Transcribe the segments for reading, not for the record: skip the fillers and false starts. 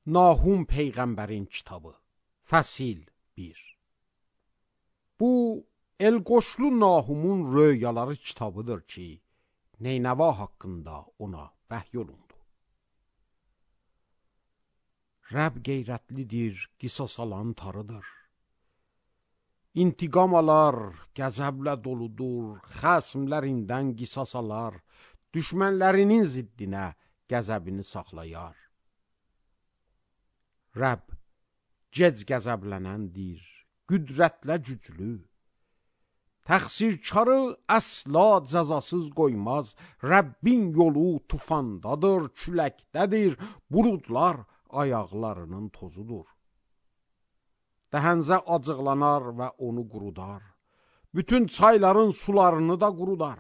Nahum Peyğəmbərin kitabı, Fəsil 1. Bu, Elqoşlu Nahumun röyaları kitabıdır ki, Neynəva haqqında ona vəhy olundu. Rəbb qeyrətlidir, qisas alan tarıdır. İntiqam alar, qəzəblə doludur, xəsmlərindən qisas alar, düşmənlərinin ziddinə qəzəbini saxlayar. Rəbb gec qəzəblənəndir, qüdrətlə güclü. Təqsirkarı əsla cəzasız qoymaz, Rəbbin yolu tufandadır, küləkdədir, buludlar ayaqlarının tozudur. Dəhənzə acıqlanar və onu qurudar, bütün çayların sularını da qurudar.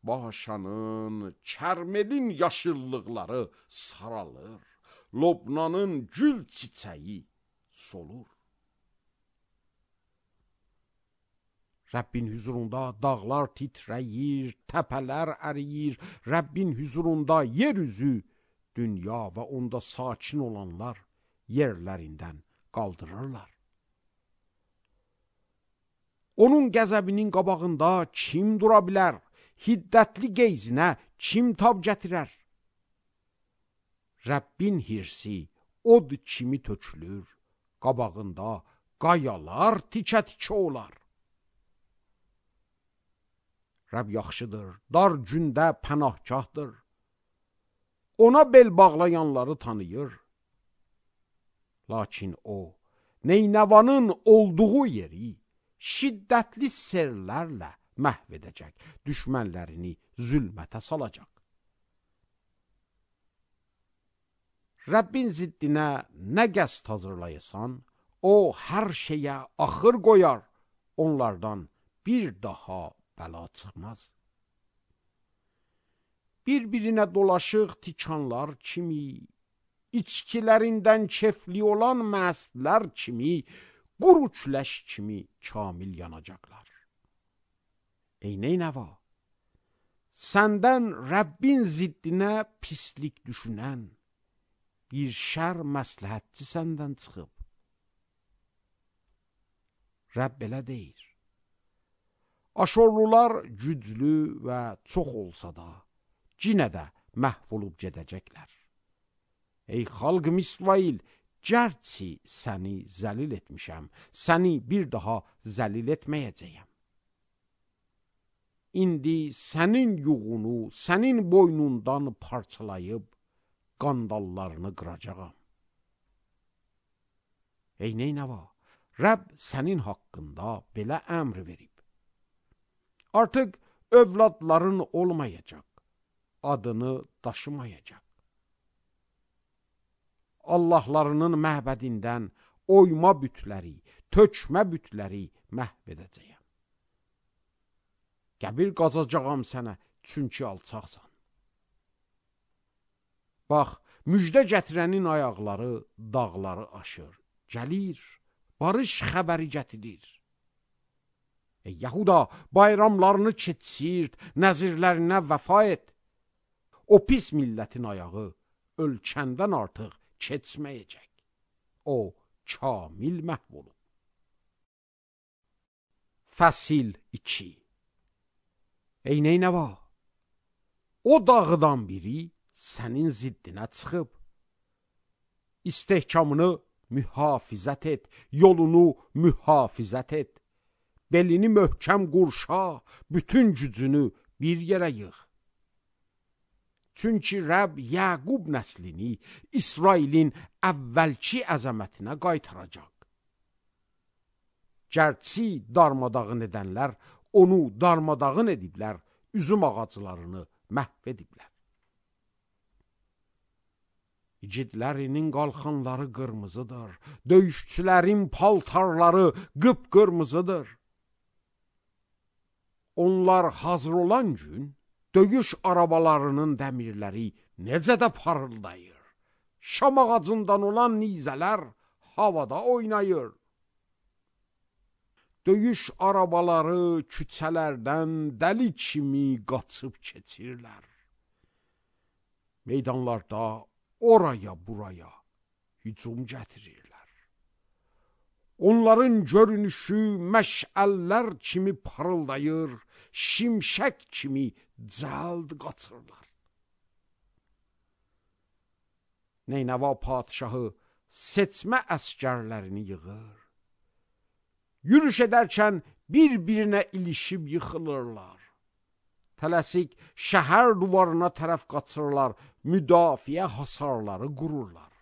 Başanın, kərmelin yaşıllıqları saralır, Lobnanın gül çiçəyi solur. Rəbbin hüzurunda dağlar titrəyir, təpələr əriyir, Rəbbin hüzurunda yer üzü, dünya və onda sakin olanlar yerlərindən qaldırırlar. Onun qəzəbinin qabağında kim dura bilər? Hiddətli qeyzinə kim tab gətirər? Rəbbin hirsi od kimi tökülür, qabağında qayalar tikə-tikə olar. Rəbb yaxşıdır, dar gündə pənahgahdır. Ona bel bağlayanları tanıyır. Lakin o, Neynəvanın olduğu yeri şiddətli sellərlə məhv edəcək, düşmənlərini zülmətə salacaq. Rəbbin ziddinə nə qəsd hazırlayasan, o hər şeyə axır qoyar, onlardan bir daha bəla çıxmaz. Bir-birinə dolaşıq tikanlar kimi, içkilərindən kefli olan məstlər kimi, quru küləş kimi kamil yanacaqlar. Ey Neynəva, səndən Rəbbin ziddinə pislik düşünən, bir şər məsləhətçi səndən çıxıb. Rəbb belə deyir. Aşorlular güclü və çox olsa da, cinə də məhv olub gedəcəklər. Ey xalqım İsrail, gərçi səni zəlil etmişəm, səni bir daha zəlil etməyəcəyəm. İndi sənin yuğunu, sənin boynundan parçalayıb, qandallarını qıracağam. Ey Neynəva, Rəbb sənin haqqında belə əmr verib. Artıq övladların olmayacaq, adını daşımayacaq. Allahlarının məbədindən oyma bütləri, tökmə bütləri məhv edəcəyəm. Qəbir qazacağam sənə, çünki alçaqsan. Bax, müjdə gətirənin ayaqları dağları aşır, gəlir, barış xəbəri gətirir. Ey Yahuda, bayramlarını keçirt, nəzirlərinə vəfa et. O pis millətin ayağı ölkəndən artıq keçməyəcək. O, kamil məhv olub. Fəsil 2. Ey Neynəva, o dağdan biri sənin ziddinə çıxıb. İstehkamını mühafizət et, yolunu mühafizət et. Belini möhkəm qurşa, bütün gücünü bir yerə yığ. Çünki Rəbb Yəqub nəslini İsrailin əvvəlki əzəmətinə qaytaracaq. Gərçi darmadağın edənlər onu darmadağın ediblər, üzüm ağaclarını məhv ediblər. İgidlərinin qalxanları qırmızıdır, döyüşçülərin paltarları qıpqırmızıdır. Onlar hazır olan gün, döyüş arabalarının dəmirləri necə də parıldayır. Şam ağacından olan nizələr havada oynayır. Döyüş arabaları küçələrdən dəli kimi qaçıb keçirlər. Meydanlarda oraya buraya hücum gətirirlər. Onların görünüşü məşəllər kimi parıldayır, şimşək kimi cəld qaçırlar. Neynəva padişahı seçmə əskərlərini yığır. Yürüş edərkən bir-birinə ilişib yıxılırlar. Tələsik şəhər duvarına tərəf qaçırlar, müdafiə hasarları qururlar.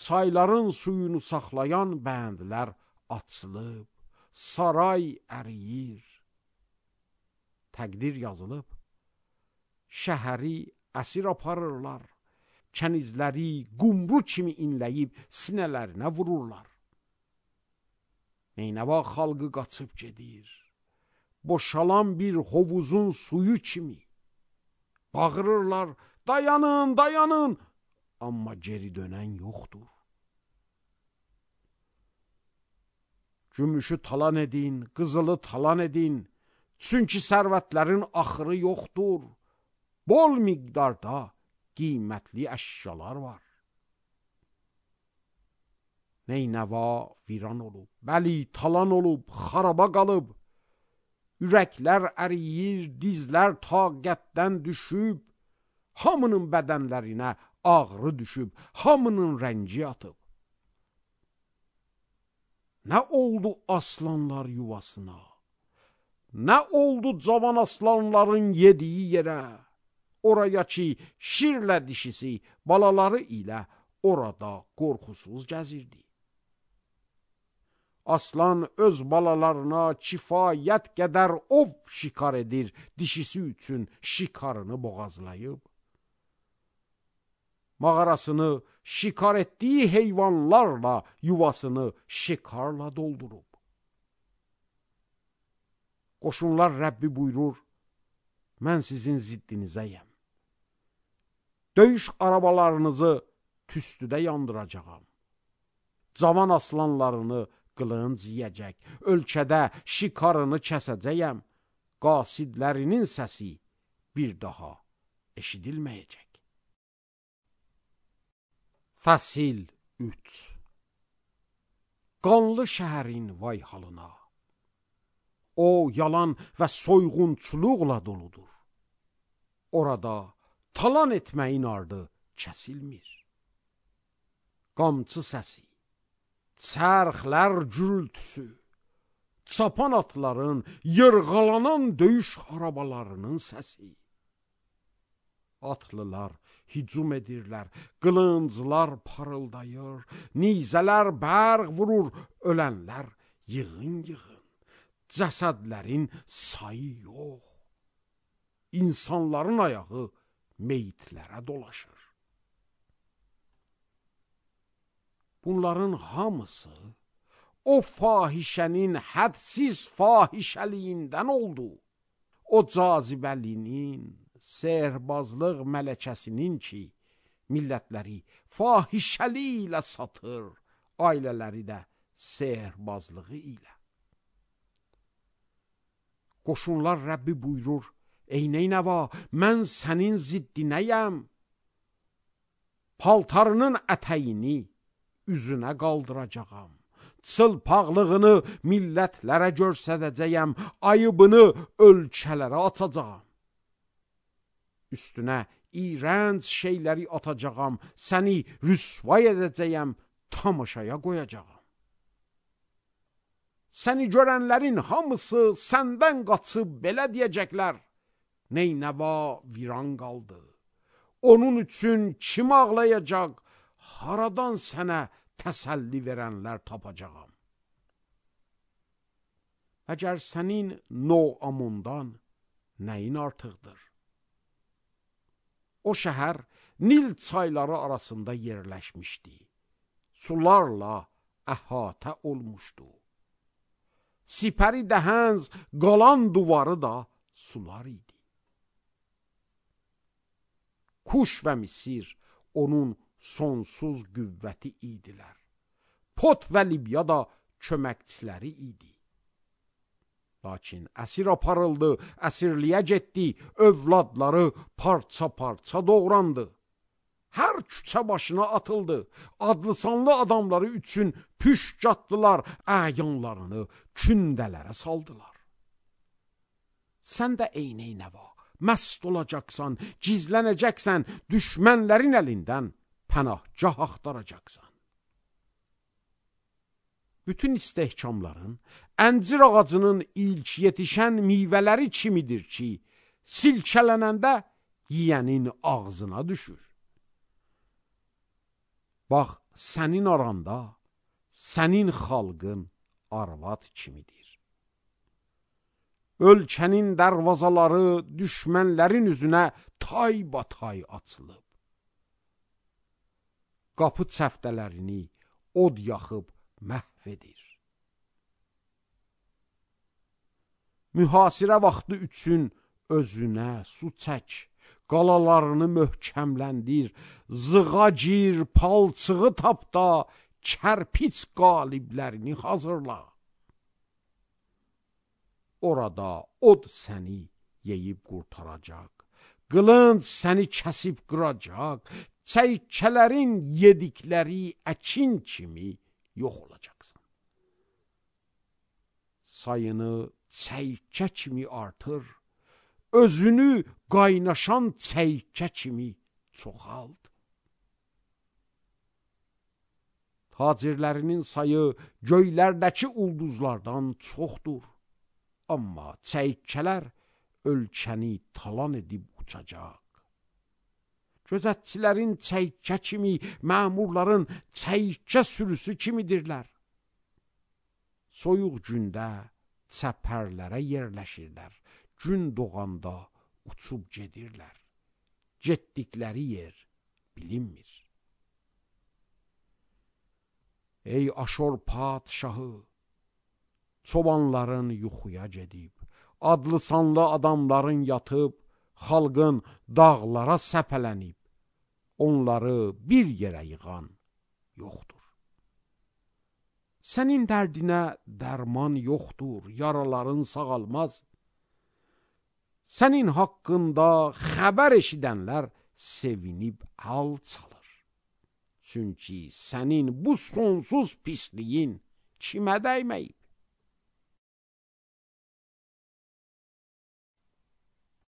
Çayların suyunu saxlayan bəndlər açılıb, saray əriyir. Təqdir yazılıb, şəhəri əsir aparırlar, kənizləri qumru kimi inləyib sinələrinə vururlar. Neynəva xalqı qaçıb gedir, boşalan bir hovuzun suyu kimi. Bağırırlar, dayanın, dayanın, amma geri dönən yoxdur. Gümüşü talan edin, qızılı talan edin, çünki sərvətlərin axırı yoxdur. Bol miqdarda qiymətli əşyalar var. Neynəva viran olub, bəli, talan olub, xaraba qalıb. Ürəklər əriyir, dizlər taqətdən düşüb, hamının bədənlərinə ağrı düşüb, hamının rəngi atıb. Nə oldu aslanlar yuvasına? Nə oldu cavan aslanların yediyi yerə? Oraya ki, şirlə dişisi balaları ilə orada qorxusuz gəzirdi. Aslan öz balalarına kifayət qədər ov şikar edir, dişisi üçün şikarını boğazlayıb. Mağarasını şikar etdiyi heyvanlarla yuvasını şikarla doldurub. Qoşunlar Rəbbi buyurur, mən sizin ziddinizəyəm. Döyüş arabalarınızı tüstüdə yandıracağam. Cavan aslanlarını qılınc yiyəcək, ölkədə şikarını kəsəcəyəm, qasidlərinin səsi bir daha eşidilməyəcək. Fəsil 3. Qanlı şəhərin vay halına. O, yalan və soyğunçuluqla doludur. Orada talan etməyin ardı kəsilmir. Qamçı səsi, çərxlər gürültüsü, çapan atların, yırğalanan döyüş arabalarının səsi. Atlılar hücum edirlər, qılınclar parıldayır, nizələr bərq vurur, ölənlər yığın-yığın. Cəsədlərin sayı yox. İnsanların ayağı meyitlərə dolaşır. Bunların hamısı o fahişənin hədsiz fahişəliyindən oldu. O cazibəlinin, sehrbazlıq mələkəsinin ki, millətləri fahişəli ilə satır, ailələri də sehrbazlığı ilə. Qoşunlar Rəbbi buyurur, ey Neynəva, mən sənin ziddinəyəm. Paltarının ətəyini üzünə qaldıracağam. Çılpaqlığını millətlərə görsədəcəyəm, ayıbını ölkələrə atacağam. Üstünə iyrənc şeyləri atacağam, səni rüsvay edəcəyəm, tamaşaya qoyacağam. Səni görənlərin hamısı səndən qaçıb belə deyəcəklər, Neynəva viran qaldı. Onun üçün kim ağlayacaq, haradan sənə təsəlli verənlər tapacağam. Əgər sənin Noamundan nəyin artıqdır? O şəhər Nil çayları arasında yerləşmişdi. Sularla əhatə olmuşdu. Sipəri dəhənz qalan duvarı da sular idi. Kuş və Misir onun sonsuz qüvvəti idilər. Pot və Libya da köməkçiləri idi. Lakin əsir aparıldı, əsirliyə getdi, övladları parça-parça doğrandı. Hər küçə başına atıldı, adlı-sanlı adamları üçün püşk atdılar, əyanlarını kündələrə saldılar. Sən də eynə-eynəva, məst olacaqsan, gizlənəcəksən, düşmənlərin əlindən pənahgah axtaracaqsan. Bütün istehkamların əncir ağacının ilk yetişən meyvələri kimidir ki, silkələnəndə yiyənin ağzına düşür. Bax, sənin aranda, sənin xalqın arvad kimidir. Ölkənin dərvazaları düşmənlərin üzünə taybatay açılıb. Qapı çəftələrini od yaxıb məhv edir. Mühasirə vaxtı üçün özünə su çək, qalalarını möhkəmləndir, zığa gir, palçığı tapda, kərpiç qaliblərini hazırla. Orada od səni yeyib qurtaracaq, qılınc səni kəsib qıracaq, çəykələrin yedikləri əkin kimi yox olacaqsan. Sayını çəykə kimi artır, özünü qaynaşan çəykə kimi çoxalt. Tacirlərinin sayı göylərdəki ulduzlardan çoxdur. Amma çəykələr ölkəni talan edib uçacaq. Gözətçilərin çəykə kimi, məmurların çəykə sürüsü kimidirlər. Soyuq gündə çəpərlərə yerləşirlər, gün doğanda uçub gedirlər. Getdikləri yer bilinmir. Ey Aşor padşahı, çobanların yuxuya gedib, adlı-sanlı adamların yatıb, xalqın dağlara səpələnib, onları bir yerə yığan yoxdur. Sənin dərdinə dərman yoxdur, yaraların sağalmaz. Sənin haqqında xəbər eşidənlər sevinib əl çalır. Çünki sənin bu sonsuz pisliyin kimə dəyməyib?